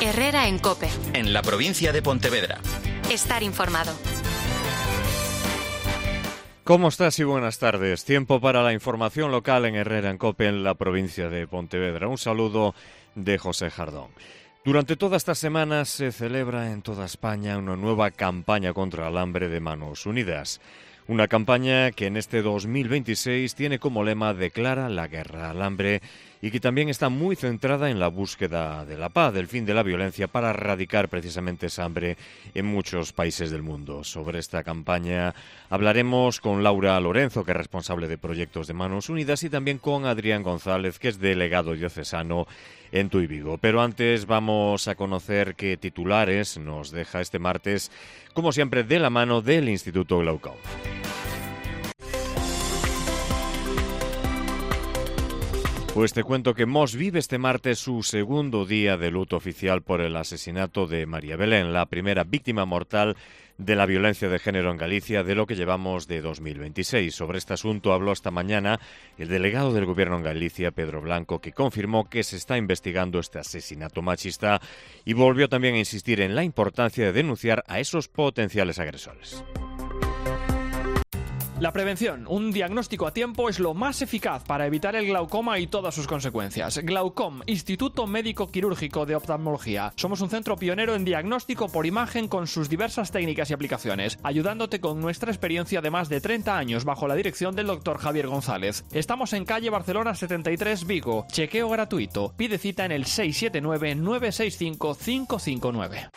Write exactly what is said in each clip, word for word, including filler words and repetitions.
Herrera en COPE. En la provincia de Pontevedra. Estar informado. ¿Cómo estás y buenas tardes? Tiempo para la información local en Herrera en COPE en la provincia de Pontevedra. Un saludo de José Jardón. Durante toda esta semana se celebra en toda España una nueva campaña contra el hambre de Manos Unidas. Una campaña que en este dos mil veintiséis tiene como lema Declara la guerra al hambre y que también está muy centrada en la búsqueda de la paz, del fin de la violencia, para erradicar precisamente esa hambre en muchos países del mundo. Sobre esta campaña hablaremos con Laura Lorenzo, que es responsable de proyectos de Manos Unidas, y también con Adrián González, que es delegado diocesano en Tui Vigo. Pero antes vamos a conocer qué titulares nos deja este martes, como siempre de la mano del Instituto Glaucom. Pues te cuento que Mos vive este martes su segundo día de luto oficial por el asesinato de María Belén, la primera víctima mortal de la violencia de género en Galicia de lo que llevamos de dos mil veintiséis. Sobre este asunto habló esta mañana el delegado del Gobierno en Galicia, Pedro Blanco, que confirmó que se está investigando este asesinato machista y volvió también a insistir en la importancia de denunciar a esos potenciales agresores. La prevención, un diagnóstico a tiempo, es lo más eficaz para evitar el glaucoma y todas sus consecuencias. Glaucom, Instituto Médico Quirúrgico de Oftalmología. Somos un centro pionero en diagnóstico por imagen con sus diversas técnicas y aplicaciones, ayudándote con nuestra experiencia de más de treinta años bajo la dirección del doctor Javier González. Estamos en calle Barcelona setenta y tres, Vigo. Chequeo gratuito. Pide cita en el seis siete nueve, nueve seis cinco, cinco cinco nueve.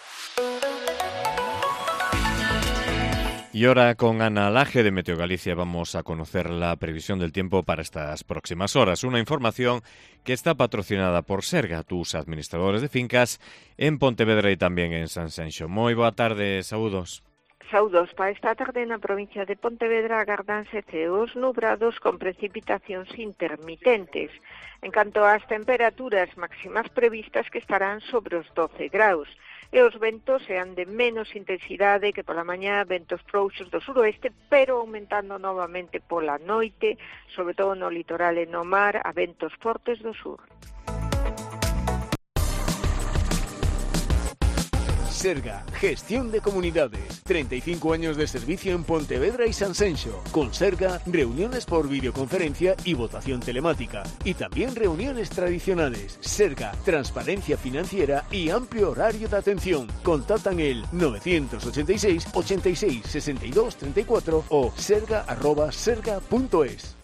Y ahora con Ana Laje de Meteo Galicia vamos a conocer la previsión del tiempo para estas próximas horas. Una información que está patrocinada por Serga, tus administradores de fincas en Pontevedra y también en Sanxenxo. Moi boa tarde, saúdos. Saúdos. Para esta tarde na provincia de Pontevedra agardanse ceos nubrados con precipitacións intermitentes. En canto ás temperaturas máximas previstas, que estarán sobre os doce graus. E os ventos sean de menos intensidade que pola mañá, ventos frouxos do suroeste, pero aumentando novamente pola noite, sobre todo no litoral e no mar, a ventos fortes do sur. Serga, gestión de comunidades, treinta y cinco años de servicio en Pontevedra y Sanxenxo. Con Serga, reuniones por videoconferencia y votación telemática. Y también reuniones tradicionales. Serga, transparencia financiera y amplio horario de atención. Contactan el novecientos ochenta y seis, ochenta y seis, sesenta y dos, treinta y cuatro o serga arroba serga punto es.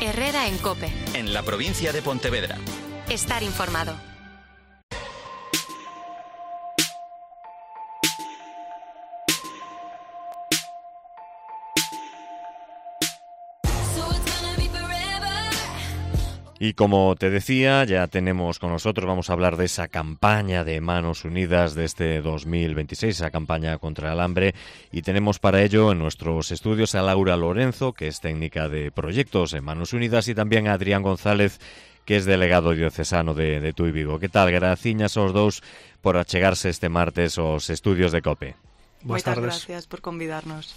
Herrera en COPE. En la provincia de Pontevedra. Estar informado. Y como te decía, ya tenemos con nosotros, vamos a hablar de esa campaña de Manos Unidas de este dos mil veintiséis, esa campaña contra el hambre, y tenemos para ello en nuestros estudios a Laura Lorenzo, que es técnica de proyectos en Manos Unidas, y también a Adrián González, que es delegado diocesano de, de Tui Vigo. Que tal? Graciñas aos dous por achegarse este martes aos estudios de COPE. Moitas gracias por convidarnos.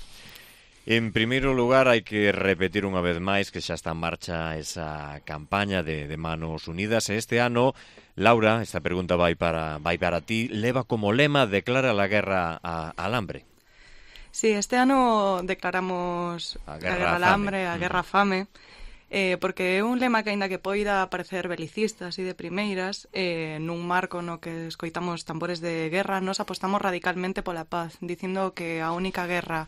En primeiro lugar, hai que repetir unha vez máis que xa está en marcha esa campaña de, de Manos Unidas. Este ano, Laura, esta pregunta vai para, vai para ti, leva como lema Declara la guerra a, al hambre. Sí, este ano declaramos a guerra, a guerra al hambre, a guerra a fame, eh, porque é un lema que, aínda que poida parecer belicista así de primeiras, eh, nun marco no que escoitamos tambores de guerra, nos apostamos radicalmente pola paz, dicindo que a única guerra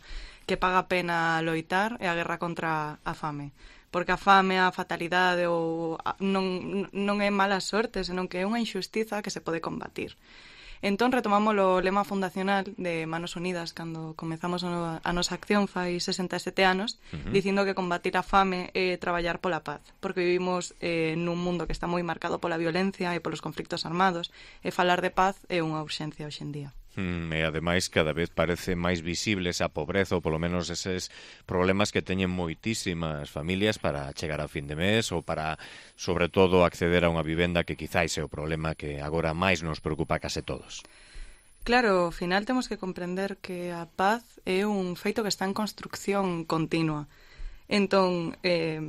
que paga pena loitar é a guerra contra a fame. Porque a fame, a fatalidade ou a, non, non é mala sorte, senón que é unha injustiza que se pode combatir. Entón retomamos o lema fundacional de Manos Unidas cando comezamos a nosa acción fai sesenta e sete anos, uh-huh. dicindo que combatir a fame é traballar pola paz, porque vivimos eh, nun mundo que está moi marcado pola violencia e polos conflictos armados, e falar de paz é unha urxencia hoxe en día. Mm, e ademais cada vez parece máis visible esa pobreza ou polo menos eses problemas que teñen moitísimas familias para chegar a fin de mes ou para, sobre todo, acceder a unha vivenda, que quizáis é o problema que agora máis nos preocupa a case todos. Claro, ao final temos que comprender que a paz é un feito que está en construcción continua. Entón, eh,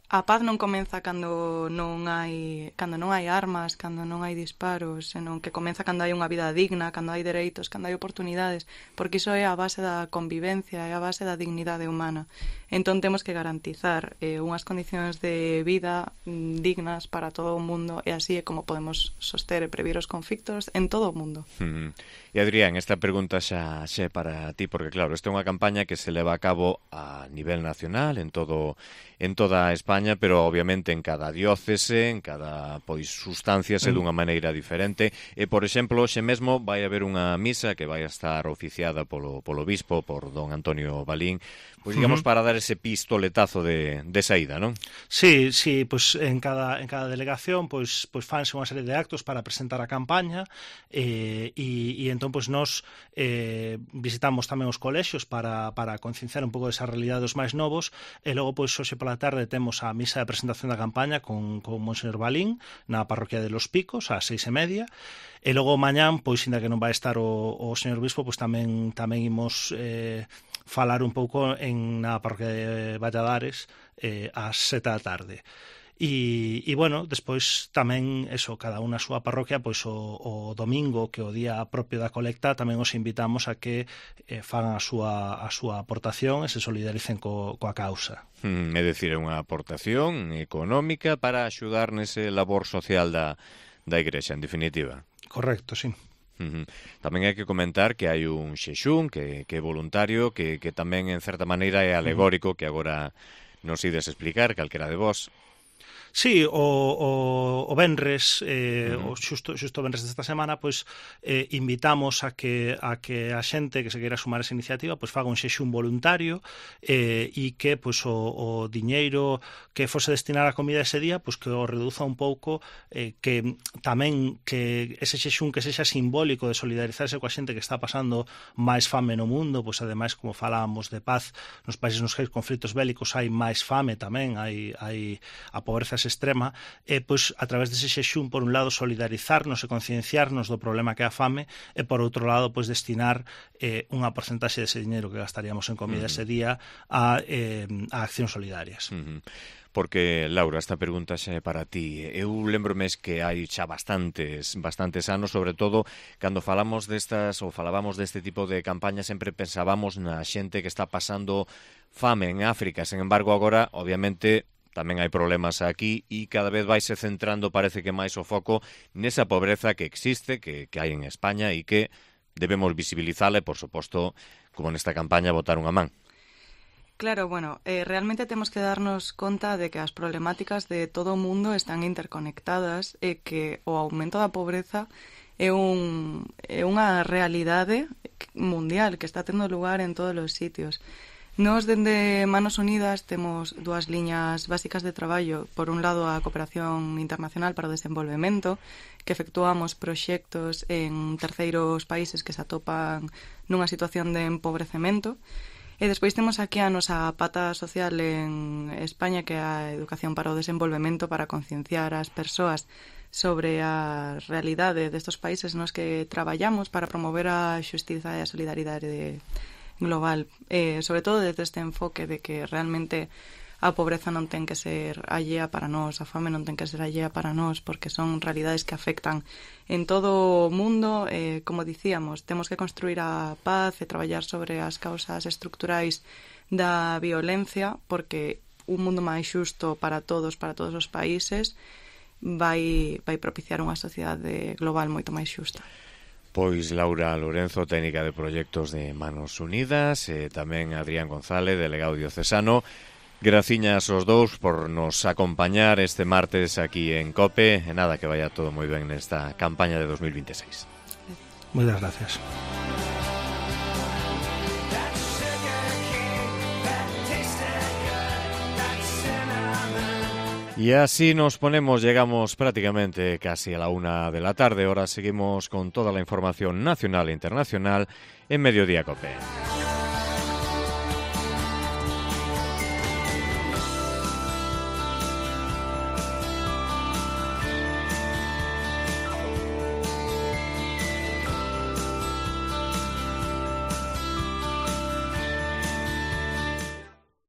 a paz non comeza cando non hai cando non hai armas, cando non hai disparos, senón que comeza cando hai unha vida digna, cando hai dereitos, cando hai oportunidades, porque iso é a base da convivencia, é a base da dignidade humana. Entón temos que garantizar eh, unhas condicións de vida mm, dignas para todo o mundo, e así é como podemos soster e previr os conflictos en todo o mundo. Mm. E Adrián, esta pregunta xa, xa é para ti, porque claro, esta é unha campaña que se leva a cabo a nivel nacional, en todo en toda España, pero obviamente en cada diócese, en cada pois sustanciase dunha maneira diferente. E, por exemplo, hoxe mesmo vai haber unha misa que vai a estar oficiada polo, polo bispo, por don Antonio Balín, pois digamos, uh-huh. para dar ese pistoletazo de, de saída, non? Sí, sí, pois en cada, en cada delegación pois, pois fanse unha serie de actos para presentar a campaña, e, e, e entón pois nós eh, visitamos tamén os colexios para, para concienciar un pouco desa realidade dos máis novos, e logo pois hoxe pola tarde temos a misa de presentación da campaña con, con Monseñor Balín na parroquia de Los Picos ás seis e media, e logo mañán, pois ainda que non vai estar o, o señor bispo, pois tamén tamén imos eh, falar un pouco en na parroquia de Valladares eh, ás sete da tarde. E, e bueno, despois tamén eso, cada unha a súa parroquia, pois o, o domingo, que o día propio da colecta, tamén os invitamos a que eh, fagan a súa, a súa aportación e se solidaricen co, coa causa. Mm, é dicir, é unha aportación económica para axudar nese labor social da, da Igrexa, en definitiva. Correcto, sí. Uh-huh. Tamén hai que comentar que hai un xexún que, que é voluntario, que, que tamén en certa maneira é alegórico, que agora nos ides explicar, calquera de vos. Sí, o, o, o venres, eh, uh-huh. o xusto, xusto venres desta semana, pois eh, invitamos a que a que a xente que se queira sumar a esa iniciativa pois faga un xexún voluntario eh, e que pois o, o diñeiro que fose destinar a comida ese día, pois que o reduza un pouco, eh, que tamén que ese xexún que sexa simbólico de solidarizarse coa xente que está pasando máis fame no mundo, pois ademais, como falábamos de paz, nos países nos que hai conflitos bélicos hai máis fame tamén, hai, hai a pobreza extrema, e pois a través dese xexún, por un lado, solidarizarnos e concienciarnos do problema que é a fame, e por outro lado, pois destinar eh, unha porcentaxe dese dinero que gastaríamos en comida uh-huh. ese día a, eh, a accións solidarias. Uh-huh. Porque, Laura, esta pregunta xa é para ti. Eu lembrome que hai xa bastantes bastantes anos, sobre todo, cando falamos destas ou falábamos deste tipo de campaña, sempre pensábamos na xente que está pasando fame en África. Sen embargo, agora, obviamente, tamén hai problemas aquí e cada vez vaise centrando, parece que máis o foco nesa pobreza que existe, que, que hai en España e que debemos visibilizala e, por suposto, como nesta campaña, botar unha man. Claro, bueno, eh, realmente temos que darnos conta de que as problemáticas de todo o mundo están interconectadas e que o aumento da pobreza é, un, é unha realidade mundial que está tendo lugar en todos os sitios. Nos, dende Manos Unidas, temos dúas liñas básicas de traballo. Por un lado, a cooperación internacional para o desenvolvemento, que efectuamos proxectos en terceiros países que se atopan nunha situación de empobrecemento. E despois temos aquí a nosa pata social en España, que é a educación para o desenvolvemento, para concienciar as persoas sobre a realidade destes países nos que traballamos para promover a xustiza e a solidaridade global, eh, sobre todo desde este enfoque de que realmente a pobreza non ten que ser allea para nós, a fame non ten que ser allea para nós, porque son realidades que afectan en todo o mundo. Eh, como dicíamos, temos que construir a paz e traballar sobre as causas estructurais da violencia, porque un mundo máis xusto para todos, para todos os países, vai, vai propiciar unha sociedade global moito máis xusta. Pois Laura Lorenzo, técnica de proxectos de Manos Unidas, e tamén Adrián González, delegado diocesano. Graciñas aos dous por nos acompañar este martes aquí en COPE. E nada, que vaya todo moi ben nesta campaña de dos mil veintiséis. Moitas gracias. Y así nos ponemos, llegamos prácticamente casi a la una de la tarde. Ahora seguimos con toda la información nacional e internacional en Mediodía COPE.